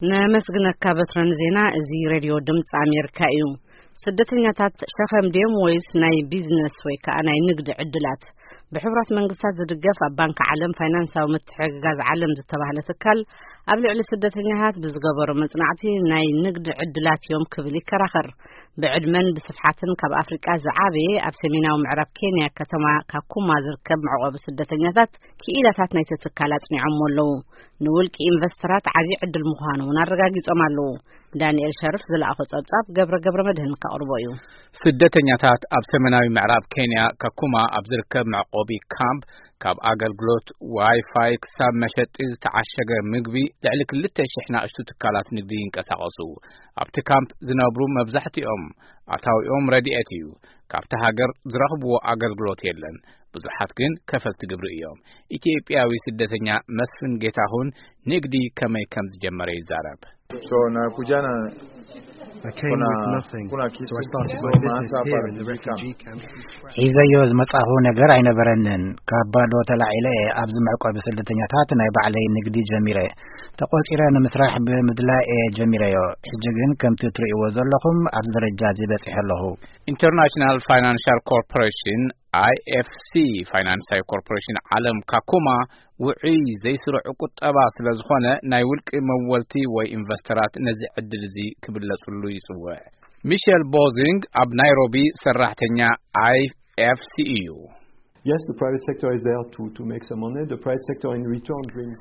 ነመስግነካ በትረ ንዜና። እዚ ሬድዮ ድምፂ ኣሜሪካ እዩ። ስደተኛታት ሸኸም ድዮም ወይስ ናይ ቢዝነስ ወይ ከዓ ናይ ንግዲ ዕድላት? ብሕቡራት መንግስታት ዝድገፍ ኣብ ባንክ ዓለም ፋይናንሳዊ ምትሕግጋዝ ዓለም ዝተባህለ ትካል ኣብ ልዕሊ ስደተኛታት ብዝገበሮ መጽናዕቲ ናይ ንግዲ ዕድላት እዮም ክብል ይከራኸር። ብዕድመን ብስፍሓትን ካብ ኣፍሪቃ ዝዓበየ ኣብ ሰሜናዊ ምዕራብ ኬንያ ከተማ ካኩማ ዝርከብ መዕቆቢ ስደተኛታት ክኢላታት ናይቲ ትካል ኣጽኒዖምዎ ኣለዉ። ንውልቂ ኢንቨስተራት ዓብዪ ዕድል ምዃኑ እውን ኣረጋጊጾም ኣለዉ። ዳንኤል ሸርፍ ዝለኣኾ ጸብጻብ ገብረ ገብረ መድህን ከቕርቦ እዩ። ስደተኛታት ኣብ ሰሜናዊ ምዕራብ ኬንያ ካኩማ ኣብ ዝርከብ መዕቆቢ ካምፕ ካብ ኣገልግሎት ዋይፋይ ክሳብ መሸጢ ዝተዓሸገ ምግቢ ልዕሊ ክልተ ሽሕ ናእሽቱ ትካላት ንግዲ ይንቀሳቐሱ። ኣብቲ ካምፕ ዝነብሩ መብዛሕትኦም ኣታዊኦም ረድኤት እዩ። ካብቲ ሃገር ዝረኽብዎ ኣገልግሎት የለን። ብዙሓት ግን ከፈልቲ ግብሪ እዮም። ኢትዮጵያዊ ስደተኛ መስፍን ጌታሁን ንግዲ ከመይ ከም ዝጀመረ ይዛረብ። So nakuja na I came kuna- with nothing, kuna kitu so I started kidogo my business masaa here in the refugee camp. ሒዘዮ ዝመጻኹ ነገር ኣይነበረንን። ካብ ባዶ ተላዒለ እየ ኣብዚ መዕቆቢ ስደተኛታት ናይ ባዕለይ ንግዲ ጀሚረ። ተቖጺረ ንምስራሕ ብምድላይ እየ ጀሚረዮ። ሕጂ ግን ከምቲ ትርእይዎ ዘለኹም ኣብዚ ደረጃ እዚ በጺሐ ኣለኹ። ኢንተርናሽናል ፋይናንሻል ኮርፖሬሽን፣ I F C፣ ፋይናንሳዊ ኮርፖሬሽን ዓለም ካኩማ ውዑይ ዘይስሩዕ ቁጠባ ስለ ዝኾነ ናይ ውልቂ መወልቲ ወይ ኢንቨስተራት ነዚ ዕድል እዚ ክብለጽሉ ይጽውዕ። ሚሸል ቦዚንግ ኣብ ናይሮቢ ሰራሕተኛ I F C እዩ። Yes, the private sector is there to, to make some money. The private sector in return brings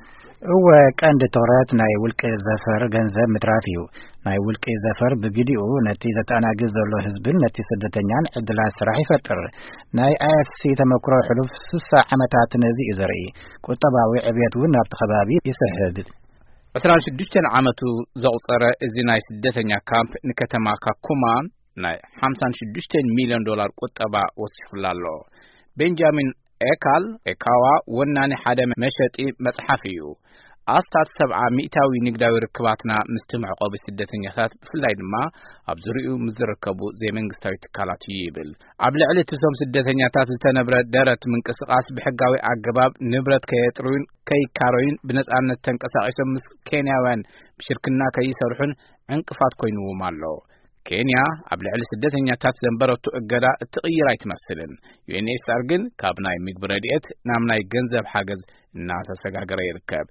እወ፣ ቀንዲ ትኹረት ናይ ውልቂ ዘፈር ገንዘብ ምትራፍ እዩ። ናይ ውልቂ ዘፈር ብግዲኡ ነቲ ዘተኣናግድ ዘሎ ህዝብን ነቲ ስደተኛን ዕድላት ስራሕ ይፈጥር። ናይ I F C ተመክሮ ሕሉፍ ስሳ ዓመታት ነዚ እዩ ዘርኢ። ቁጠባዊ ዕብየት እውን ናብቲ ከባቢ ይስሕብ። ዕስራን ሽዱሽተን ዓመቱ ዘቑጸረ እዚ ናይ ስደተኛ ካምፕ ንከተማ ካኩማ ናይ ሓምሳን ሽዱሽተን ሚልዮን ዶላር ቁጠባ ወሲኹላ ኣሎ። ቤንጃሚን ኤካል፣ ኤካዋ፣ ወናኒ ሓደ መሸጢ መጽሓፍ እዩ። ኣስታት ሰብዓ ሚእታዊ ንግዳዊ ርክባትና ምስቲ መዕቆቢ ስደተኛታት፣ ብፍላይ ድማ ኣብ ዙሪኡ ምስ ዝርከቡ ዘይመንግስታዊ ትካላት እዩ ይብል። ኣብ ልዕሊ እቶም ስደተኛታት ዝተነብረ ደረት ምንቅስቓስ ብሕጋዊ ኣገባብ ንብረት ከየጥርዩን ከይካረዩን ብነጻነት ተንቀሳቒሶም ምስ ኬንያውያን ብሽርክና ከይሰርሑን ዕንቅፋት ኮይንዎም ኣሎ። ኬንያ ኣብ ልዕሊ ስደተኛታት ዘንበረቱ እገዳ እትቕይር ኣይትመስልን። ዩ ኤን ኤች ሲ ኣር ግን ካብ ናይ ምግቢ ረድኤት ናብ ናይ ገንዘብ ሓገዝ እናተሰጋገረ ይርከብ።